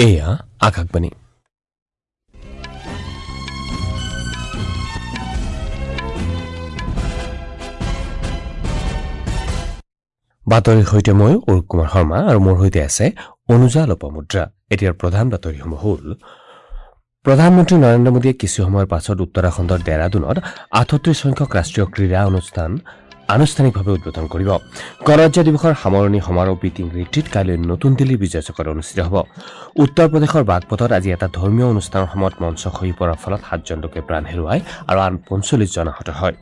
এয়া আকাশবাণী। বাতৰিৰ সৈতে মই অৰূপ কুমাৰ শৰ্মা আৰু মোৰ সৈতে আছে অনুজা লোপামুদ্ৰা। এতিয়াৰ প্ৰধান বাতৰিসমূহ হ'ল: প্ৰধানমন্ত্ৰী নৰেন্দ্ৰ মোদীয়ে কিছু সময়ৰ পাছত উত্তৰাখণ্ডৰ ডেৰাডুনত 38 সংখ্যক ৰাষ্ট্ৰীয় ক্ৰীড়া অনুষ্ঠান আনুষ্ঠানিকভাৱে উদ্বোধন কৰিব। গণৰাজ্য দিৱসৰ সামৰণি সমাৰোহ বিটিং ৰিট্ৰিট কাইলৈ নতুন দিল্লীৰ বিজয় চকত অনুষ্ঠিত হ'ব। উত্তৰ প্ৰদেশৰ বাগপথত আজি এটা ধৰ্মীয় অনুষ্ঠানৰ সময়ত মঞ্চ খহি পৰাৰ ফলত 7জন লোকে প্ৰাণ হেৰুৱায় আৰু আন 45জন আহত হয়।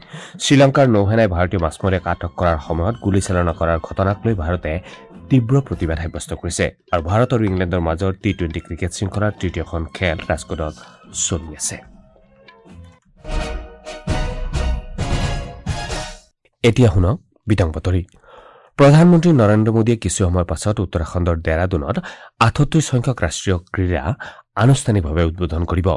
শ্ৰীলংকাৰ নৌসেনাই ভাৰতীয় মাছমৰীয়াক আটক কৰাৰ সময়ত গুলীচালনা কৰাৰ ঘটনাক লৈ ভাৰতে তীব্ৰ প্ৰতিবাদ সাব্যস্ত কৰিছে। আৰু ভাৰত আৰু ইংলেণ্ডৰ মাজৰ টি-20 ক্ৰিকেট শৃংখলাৰ তৃতীয়খন খেল ৰাজকোটত চলি আছে। এতিয়া শুনক বিতং বাতৰি। প্ৰধানমন্ত্ৰী নৰেন্দ্ৰ মোদীয়ে কিছু সময়ৰ পাছত উত্তৰাখণ্ডৰ ডেৰাডুনত 38 সংখ্যক ৰাষ্ট্ৰীয় ক্ৰীড়া আনুষ্ঠানিকভাৱে উদ্বোধন কৰিব।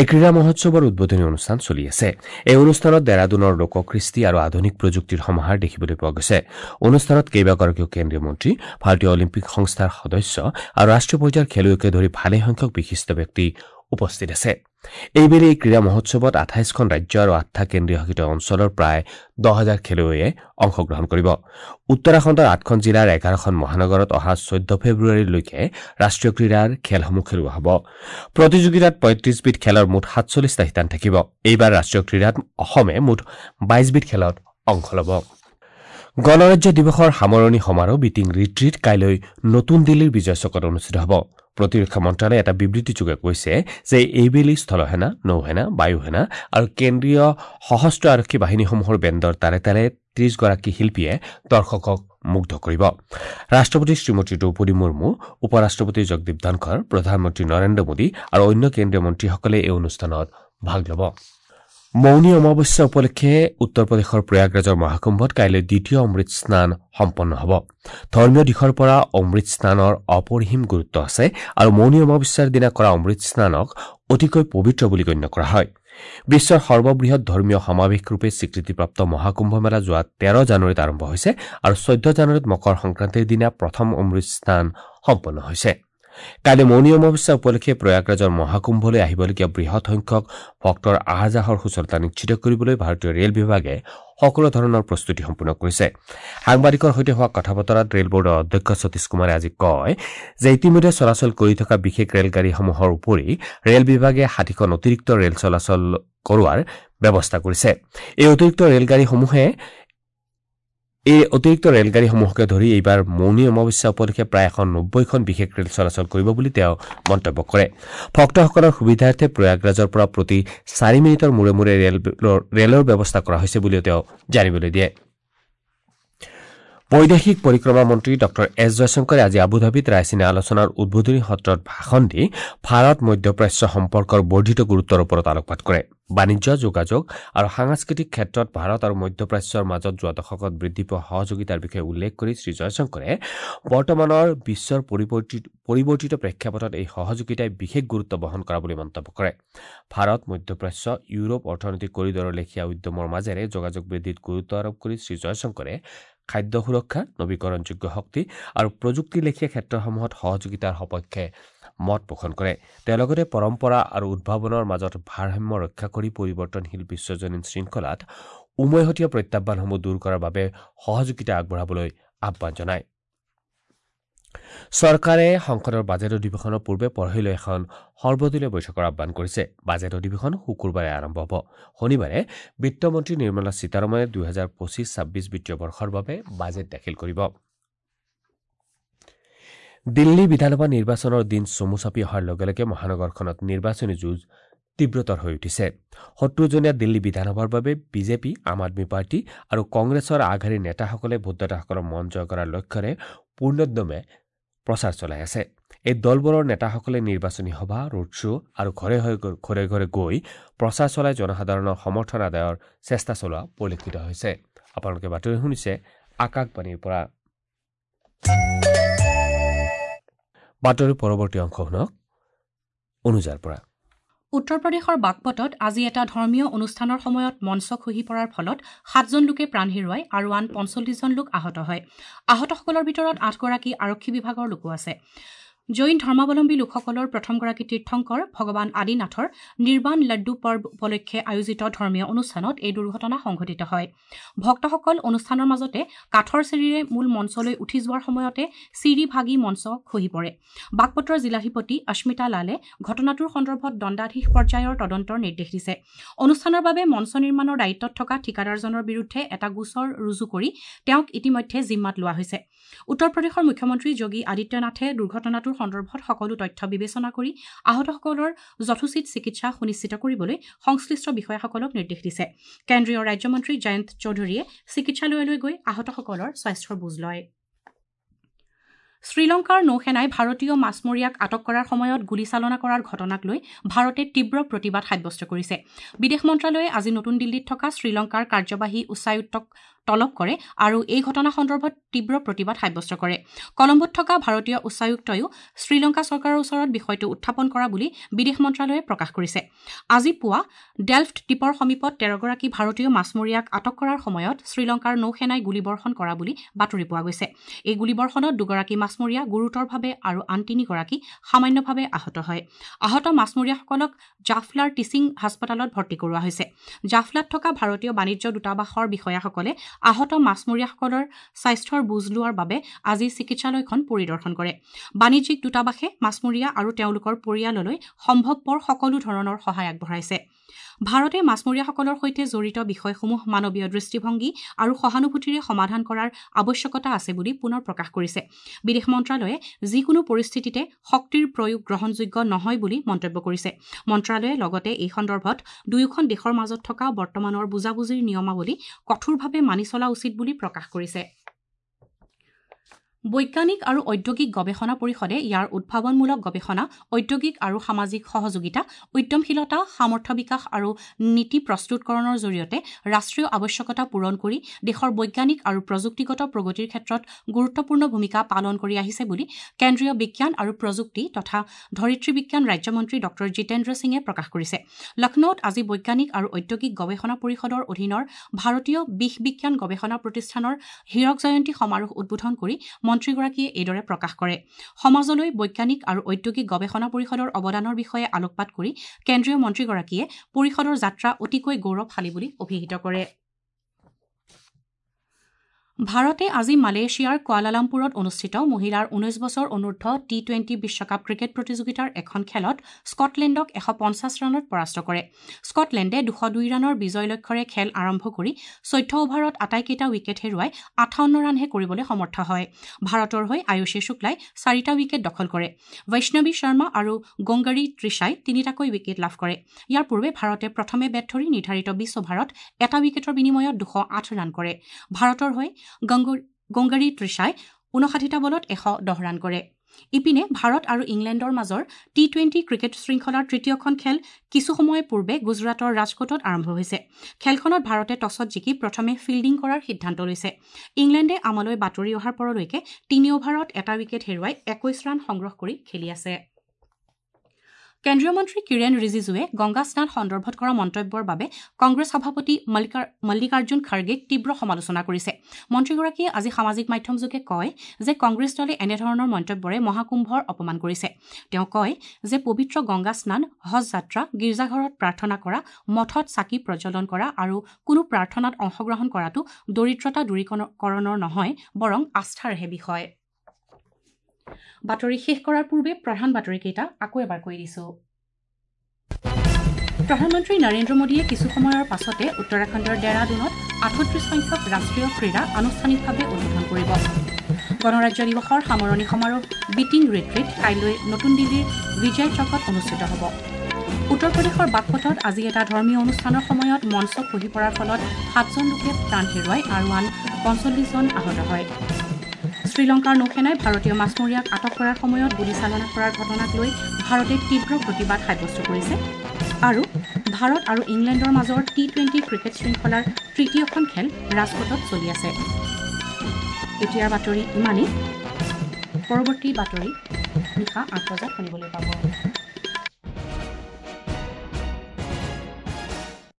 এই ক্ৰীড়া মহোৎসৱৰ উদ্বোধনী অনুষ্ঠান চলি আছে। এই অনুষ্ঠানত ডেৰাডুনৰ লোককৃষ্টি আৰু আধুনিক প্ৰযুক্তিৰ সমাহাৰ দেখিবলৈ পোৱা গৈছে। অনুষ্ঠানত কেইবাগৰাকীও কেন্দ্ৰীয় মন্ত্ৰী, ভাৰতীয় অলিম্পিক সংস্থাৰ সদস্য আৰু ৰাষ্ট্ৰীয় পৰ্যায়ৰ খেলুৱৈকে ধৰি ভালেসংখ্যক বিশিষ্ট ব্যক্তি উপস্থিত আছে। এইবেলি এই ক্ৰীড়া মহোৎসৱত 28খন ৰাজ্য আৰু 8টা কেন্দ্ৰীয় শাসিত অঞ্চলৰ প্ৰায় 10,000 খেলুৱৈয়ে অংশগ্ৰহণ কৰিব। উত্তৰাখণ্ডৰ 8খন জিলাৰ 11খন মহানগৰত অহা 14 ফেব্ৰুৱাৰীলৈকে ৰাষ্ট্ৰীয় ক্ৰীড়াৰ খেলসমূহ খেলোৱা হ'ব। প্ৰতিযোগিতাত 35বিধ খেলৰ মুঠ 47টা শিতান থাকিব। এইবাৰ ৰাষ্ট্ৰীয় ক্ৰীড়াত অসমে মুঠ 22বিধ খেলত অংশ ল'ব। গণৰাজ্য দিৱসৰ সামৰণি সমাৰোহ বিটিং ৰিট্ৰিট কাইলৈ নতুন দিল্লীৰ বিজয় চকত অনুষ্ঠিত হ'ব। প্ৰতিৰক্ষা মন্ত্ৰালয়ে এটা বিবৃতিযোগে কৈছে যে এইবেলি স্থলসেনা, নৌসেনা, বায়ুসেনা আৰু কেন্দ্ৰীয় সশস্ত্ৰ আৰক্ষী বাহিনীসমূহৰ বেণ্ডৰ তালে তালে 30গৰাকী শিল্পীয়ে দৰ্শকক মুগ্ধ কৰিব। ৰাষ্ট্ৰপতি শ্ৰীমতী দ্ৰৌপদী মুৰ্মু, উপ ৰাষ্ট্ৰপতি জগদীপ ধনখৰ, প্ৰধানমন্ত্ৰী নৰেন্দ্ৰ মোদী আৰু অন্য কেন্দ্ৰীয় মন্ত্ৰীসকলে এই অনুষ্ঠানত ভাগ ল'ব। মৌনী অমাৱস্যা উপলক্ষে উত্তৰ প্ৰদেশৰ প্ৰয়াগৰাজৰ মহাকুম্ভত কাইলৈ দ্বিতীয় অমৃত স্নান সম্পন্ন হ'ব। ধৰ্মীয় দিশৰ পৰা অমৃত স্নানৰ অপৰিসীম গুৰুত্ব আছে আৰু মৌনী অমাৱস্যাৰ দিনা কৰা অমৃত স্নানক অতিকৈ পবিত্ৰ বুলি গণ্য কৰা হয়। বিশ্বৰ সৰ্ববৃহৎ ধৰ্মীয় সমাৱেশ ৰূপে স্বীকৃতিপ্ৰাপ্ত মহাকুম্ভ মেলা যোৱা 13 জানুৱাৰীত আৰম্ভ হৈছে আৰু 14 জানুৱাৰীত মকৰ সংক্ৰান্তিৰ দিনা প্ৰথম অমৃত স্নান সম্পন্ন হৈছে। কাইলৈ মৌনী অমাৱস্যা উপলক্ষে প্ৰয়াগৰাজৰ মহাকুম্ভলৈ আহিবলগীয়া বৃহৎ সংখ্যক ভক্তৰ আহ যাহৰ সুচলতা নিশ্চিত কৰিবলৈ ভাৰতীয় ৰেল বিভাগে সকলো ধৰণৰ প্ৰস্তুতি সম্পূৰ্ণ কৰিছে। সাংবাদিকৰ সৈতে হোৱা কথা বতৰাত ৰেল বোৰ্ডৰ অধ্যক্ষ সতীশ কুমাৰে আজি কয় যে ইতিমধ্যে চলাচল কৰি থকা বিশেষ ৰেলগাড়ীসমূহৰ উপৰি ৰেল বিভাগে 60খন অতিৰিক্ত ৰেল চলাচল কৰোৱাৰ ব্যৱস্থা কৰিছে। এই অতিৰিক্ত ৰেলগাড়ীসমূহকে ধৰি এইবাৰ মৌনী অমাৱস্যা উপলক্ষে প্ৰায় 190খন বিশেষ ৰেল চলাচল কৰিব বুলি তেওঁ মন্তব্য কৰে। ভক্তসকলৰ সুবিধাৰ্থে প্ৰয়াগৰাজৰ পৰা প্ৰতি 4 মিনিটৰ মূৰে মূৰে ৰেলৰ ব্যৱস্থা কৰা হৈছে বুলিও তেওঁ জানিবলৈ দিয়ে। বৈদেশিক পৰিক্ৰমা মন্ত্ৰী ডঃ এছ জয়শংকৰে আজি আবুধাবিত ৰায়চিনা আলোচনাৰ উদ্বোধনী সত্ৰত ভাষণ দি ভাৰত মধ্যপ্ৰাচ্য সম্পৰ্কৰ বৰ্ধিত গুৰুত্বৰ ওপৰত আলোকপাত কৰে। বাণিজ্য, যোগাযোগ আৰু সাংস্কৃতিক ক্ষেত্ৰত ভাৰত আৰু মধ্যপ্ৰাচ্যৰ মাজত যোৱা দশকত বৃদ্ধি পোৱা সহযোগিতাৰ বিষয়ে উল্লেখ কৰি শ্ৰীজয়শংকৰে বৰ্তমানৰ বিশ্বৰ পৰিৱৰ্তিত প্ৰেক্ষাপটত এই সহযোগিতাই বিশেষ গুৰুত্ব বহন কৰা বুলি মন্তব্য কৰে। ভাৰত মধ্যপ্ৰাচ্য ইউৰোপ অৰ্থনৈতিক কৰিডৰৰ লেখীয়া উদ্যমৰ মাজেৰে যোগাযোগ বৃদ্ধিত গুৰুত্ব আৰোপ কৰি শ্ৰীজয়শংকৰে খাদ্য সুৰক্ষা, নৱীকৰণযোগ্য শক্তি আৰু প্ৰযুক্তি লেখীয়া ক্ষেত্ৰসমূহত সহযোগিতাৰ সপক্ষে মত পোষণ কৰে। তেওঁ লগতে পৰম্পৰা আৰু উদ্ভাৱনৰ মাজত ভাৰসাম্য ৰক্ষা কৰি পৰিৱৰ্তনশীল বিশ্বজনীন শৃংখলাত উমৈহতীয়া প্ৰত্যাহ্বানসমূহ দূৰ কৰাৰ বাবে সহযোগিতা আগবঢ়াবলৈ আহ্বান জনায়। চৰকাৰে সংসদৰ বাজেট অধিৱেশনৰ পূৰ্বে পৰহিলৈ এখন সৰ্বদলীয় বৈঠকৰ আহ্বান কৰিছে। বাজেট অধিৱেশন শুকুৰবাৰে আৰম্ভ হ'ব। শনিবাৰে বিত্তমন্ত্ৰী নিৰ্মলা সীতাৰমণে 2025-26 বিত্তীয় বৰ্ষৰ বাবে বাজেট দাখিল কৰিব। দিল্লী বিধানসভা নিৰ্বাচনৰ দিন চমু চাপি অহাৰ লগে লগে মহানগৰখনত নিৰ্বাচনী যুঁজ তীব্ৰতৰ হৈ উঠিছে। 70জনীয়া দিল্লী বিধানসভাৰ বাবে বিজেপি, আম আদমী পাৰ্টি আৰু কংগ্ৰেছৰ আগশাৰীৰ নেতাসকলে ভোটদাতাসকলৰ মন জয় কৰাৰ লক্ষ্যৰে পূৰ্ণোদ্যমে প্ৰচাৰ চলাই আছে। এই দলবোৰৰ নেতাসকলে নিৰ্বাচনী সভা, ৰোড শ্ব' আৰু ঘৰে ঘৰে গৈ প্ৰচাৰ চলাই জনসাধাৰণৰ সমৰ্থন আদায়ৰ চেষ্টা চলোৱা পৰিলক্ষিত হৈছে। আপোনালোকে বাতৰি শুনিছে আকাশবাণীৰ পৰা। বাতৰিৰ পৰৱৰ্তী অংশ শুনক অনুজাৰ পৰা। উত্তৰ প্ৰদেশৰ বাগপতত আজি এটা ধৰ্মীয় অনুষ্ঠানৰ সময়ত মঞ্চ খহি পৰাৰ ফলত 7জন লোকে প্ৰাণ হেৰুৱায় আৰু আন 45জন লোক আহত হয়। আহতসকলৰ ভিতৰত 8গৰাকী আৰক্ষী বিভাগৰ লোকো আছে। জৈন ধৰ্মাৱলম্বী লোকসকলৰ প্ৰথমগৰাকী তীৰ্থংকৰ ভগৱান আদিনাথৰ নিৰ্বাণ লাড্ডু পৰ্ব উপলক্ষে আয়োজিত ধৰ্মীয় অনুষ্ঠানত এই দুৰ্ঘটনা সংঘটিত হয়। ভক্তসকল অনুষ্ঠানৰ মাজতে কাঠৰ চিৰিৰে মূল মঞ্চলৈ উঠি যোৱাৰ সময়তে চিৰি ভাগি মঞ্চ খহি পৰে। বাগপতৰ জিলাধিপতি অস্মিতা লালে ঘটনাটোৰ সন্দৰ্ভত দণ্ডাধীশ পৰ্যায়ৰ তদন্তৰ নিৰ্দেশ দিছে। অনুষ্ঠানৰ বাবে মঞ্চ নিৰ্মাণৰ দায়িত্বত থকা ঠিকাদাৰজনৰ বিৰুদ্ধে এটা গোচৰ ৰুজু কৰি তেওঁক ইতিমধ্যে জিম্মাত লোৱা হৈছে। উত্তৰ প্ৰদেশৰ মুখ্যমন্ত্ৰী যোগী আদিত্যনাথে দুৰ্ঘটনাটোৰ সন্দৰ্ভত সকলো তথ্য বিবেচনা কৰি আহতসকলৰ যথোচিত চিকিৎসা সুনিশ্চিত কৰিবলৈ সংশ্লিষ্ট বিষয়াসকলক নিৰ্দেশ দিছে। কেন্দ্ৰীয় ৰাজ্যমন্ত্ৰী জয়ন্ত চৌধুৰীয়ে চিকিৎসালয়লৈ গৈ আহতসকলৰ স্বাস্থ্যৰ বুজ লয়। শ্ৰীলংকাৰ নৌসেনাই ভাৰতীয় মাছমৰীয়াক আটক কৰাৰ সময়ত গুলীচালনা কৰাৰ ঘটনাক লৈ ভাৰতে তীব্ৰ প্ৰতিবাদ সাব্যস্ত কৰিছে। বিদেশ মন্ত্ৰালয়ে আজি নতুন দিল্লীত থকা শ্ৰীলংকাৰ কাৰ্যবাহী উচ্চায়ুক্তক তলব কৰে আৰু এই ঘটনা সন্দৰ্ভত তীব্ৰ প্ৰতিবাদ সাব্যস্ত কৰে। কলম্বোত থকা ভাৰতীয় উচ্চায়ুক্তয়ো শ্ৰীলংকা চৰকাৰৰ ওচৰত বিষয়টো উত্থাপন কৰা বুলি বিদেশ মন্ত্ৰালয়ে প্ৰকাশ কৰিছে। আজি পুৱা ডেল্ফ্ট দ্বীপৰ সমীপত ১৩গৰাকী ভাৰতীয় মাছমৰীয়াক আটক কৰাৰ সময়ত শ্ৰীলংকাৰ নৌসেনাই গুলীবৰ্ষণ কৰা বুলি বাতৰি পোৱা গৈছে। এই গুলীবৰ্ষণত ২গৰাকী মাছমৰীয়া গুৰুতৰভাৱে আৰু আন ৩গৰাকী সামান্যভাৱে আহত হয়। আহত মাছমৰীয়াসকলক জাফলাৰ টিচিং হাস্পতালত ভৰ্তি কৰোৱা হৈছে। জাফলাত থকা ভাৰতীয় বাণিজ্য দূতাবাসৰ বিষয়াসকলে আহত মাছমৰীয়াসকলৰ স্বাস্থ্যৰ বুজ লোৱাৰ বাবে আজি চিকিৎসালয়খন পৰিদৰ্শন কৰে। বাণিজ্যিক দূতাবাসে মাছমৰীয়া আৰু তেওঁলোকৰ পৰিয়াললৈ সম্ভৱপৰ সকলো ধৰণৰ সহায় আগবঢ়াইছে। ভাৰতে মাছমৰীয়াসকলৰ সৈতে জড়িত বিষয়সমূহ মানৱীয় দৃষ্টিভংগী আৰু সহানুভূতিৰে সমাধান কৰাৰ আৱশ্যকতা আছে বুলি পুনৰ প্ৰকাশ কৰিছে। বিদেশ মন্ত্ৰালয়ে যিকোনো পৰিস্থিতিতে শক্তিৰ প্ৰয়োগ গ্ৰহণযোগ্য নহয় বুলি মন্তব্য কৰিছে। মন্ত্ৰালয়ে লগতে এই সন্দৰ্ভত দুয়োখন দেশৰ মাজত থকা বৰ্তমানৰ বুজাবুজিৰ নিয়মাৱলী কঠোৰভাৱে মানি চলা উচিত বুলি প্ৰকাশ কৰিছে। বৈজ্ঞানিক আৰু ঔদ্যোগিক গৱেষণা পৰিষদে ইয়াৰ উদ্ভাৱনমূলক গৱেষণা, ঔদ্যোগিক আৰু সামাজিক সহযোগিতা, উদ্যমশীলতা, সামৰ্থ্য বিকাশ আৰু নীতি প্ৰস্তুতকৰণৰ জৰিয়তে ৰাষ্ট্ৰীয় আৱশ্যকতা পূৰণ কৰি দেশৰ বৈজ্ঞানিক আৰু প্ৰযুক্তিগত প্ৰগতিৰ ক্ষেত্ৰত গুৰুত্বপূৰ্ণ ভূমিকা পালন কৰি আহিছে বুলি কেন্দ্ৰীয় বিজ্ঞান আৰু প্ৰযুক্তি তথা ধৰিত্ৰী বিজ্ঞান ৰাজ্যমন্ত্ৰী ডঃ জিতেন্দ্ৰ সিঙে প্ৰকাশ কৰিছে। লক্ষ্ণৌত আজি বৈজ্ঞানিক আৰু ঔদ্যোগিক গৱেষণা পৰিষদৰ অধীনৰ ভাৰতীয় বিষ বিজ্ঞান গৱেষণা প্ৰতিষ্ঠানৰ হীৰক জয়ন্তী সমাৰোহ উদ্বোধন কৰি মন্ত্ৰীগৰাকীয়ে এইদৰে প্ৰকাশ কৰে। সমাজলৈ বৈজ্ঞানিক আৰু ঔদ্যোগিক গৱেষণা পৰিষদৰ অৱদানৰ বিষয়ে আলোকপাত কৰি কেন্দ্ৰীয় মন্ত্ৰীগৰাকীয়ে পৰিষদৰ যাত্ৰা অতিকৈ গৌৰৱশালী বুলি অভিহিত কৰে। ভাৰতে আজি মালয়েছিয়াৰ কুৱালালামপুৰত অনুষ্ঠিত মহিলাৰ ১৯ বছৰ অনূৰ্ধ্ব টি-টুৱেণ্টি বিশ্বকাপ ক্ৰিকেট প্ৰতিযোগিতাৰ এখন খেলত স্কটলেণ্ডক ১৫০ ৰানত পৰাস্ত কৰে। স্কটলেণ্ডে ২০২ ৰানৰ বিজয় লক্ষ্যৰে খেল আৰম্ভ কৰি ১৪ অভাৰত আটাইকেইটা উইকেট হেৰুৱাই ৫৮ ৰানহে কৰিবলৈ সমৰ্থ হয়। ভাৰতৰ হৈ আয়ুষী শুক্লাই ৪টা উইকেট দখল কৰে। বৈষ্ণৱী শৰ্মা আৰু গংগাৰী তৃষাই ৩টাকৈ উইকেট লাভ কৰে। ইয়াৰ পূৰ্বে ভাৰতে প্ৰথমে বেট ধৰি নিৰ্ধাৰিত ২০ অভাৰত এটা উইকেটৰ বিনিময়ত ২০৮ ৰান কৰে। ভাৰতৰ হৈ গংগাৰী তৃষাই ৫৯টা বলত ১১০ ৰান কৰে। ইপিনে ভাৰত আৰু ইংলেণ্ডৰ মাজৰ টি-টুৱেণ্টি ক্ৰিকেট শৃংখলাৰ তৃতীয়খন খেল কিছু সময় পূৰ্বে গুজৰাটৰ ৰাজকোটত আৰম্ভ হৈছে। খেলখনত ভাৰতে টছত জিকি প্ৰথমে ফিল্ডিং কৰাৰ সিদ্ধান্ত লৈছে। ইংলেণ্ডে আমালৈ বাতৰি অহাৰ পৰলৈকে ৩ অভাৰত এটা উইকেট হেৰুৱাই ২১ ৰান সংগ্ৰহ কৰি খেলি আছে। কেন্দ্ৰীয় মন্ত্ৰী কিৰেণ ৰিজিজুৱে গংগা স্নান সন্দৰ্ভত কৰা মন্তব্যৰ বাবে কংগ্ৰেছ সভাপতি মল্লিকাৰ্জুন খাৰ্গেক তীব্ৰ সমালোচনা কৰিছে। মন্ত্ৰীগৰাকীয়ে আজি সামাজিক মাধ্যমযোগে কয় যে কংগ্ৰেছ দলে এনেধৰণৰ মন্তব্যৰে মহাকুম্ভৰ অপমান কৰিছে। তেওঁ কয় যে পবিত্ৰ গংগা স্নান, হজ যাত্ৰা, গীৰ্জাঘৰত প্ৰাৰ্থনা কৰা, মঠত চাকি প্ৰজ্বলন কৰা আৰু কোনো প্ৰাৰ্থনাত অংশগ্ৰহণ কৰাটো দৰিদ্ৰতা দূৰীকৰণৰ নহয়, বৰং আস্থাৰহে বিষয়। বাতৰি শেষ কৰাৰ পূৰ্বে প্ৰধান বাতৰিকেইটা আকৌ এবাৰ কৈ দিছো। প্ৰধানমন্ত্ৰী নৰেন্দ্ৰ মোদীয়ে কিছু সময়ৰ পাছতে উত্তৰাখণ্ডৰ ডেৰাডুনত ৩৮ সংখ্যক ৰাষ্ট্ৰীয় ক্ৰীড়া আনুষ্ঠানিকভাৱে উদ্বোধন কৰিব। গণৰাজ্য দিৱসৰ সামৰণি সমাৰোহ বিটিং ৰিট্ৰিট কাইলৈ নতুন দিল্লীৰ বিজয় চকত অনুষ্ঠিত হ'ব। উত্তৰ প্ৰদেশৰ বাগপতত আজি এটা ধৰ্মীয় অনুষ্ঠানৰ সময়ত মঞ্চ খহি পৰাৰ ফলত ৭জন লোকে প্ৰাণ হেৰুৱায় আৰু আন ৪৫জন আহত হয়। শ্ৰীলংকাৰ নৌসেনাই ভাৰতীয় মাছমৰীয়াক আটক কৰাৰ সময়ত গুলীচালনা কৰাৰ ঘটনাক লৈ ভাৰতে তীব্ৰ প্ৰতিবাদ সাব্যস্ত কৰিছে। আৰু ভাৰত আৰু ইংলেণ্ডৰ মাজৰ টি-টুৱেণ্টি ক্ৰিকেট শৃংখলাৰ তৃতীয়খন খেল ৰাজকোটত চলি আছে। এতিয়াৰ বাতৰি ইমানেই। পৰৱৰ্তী বাতৰি নিশা ৮ বজাত শুনিবলৈ পাব।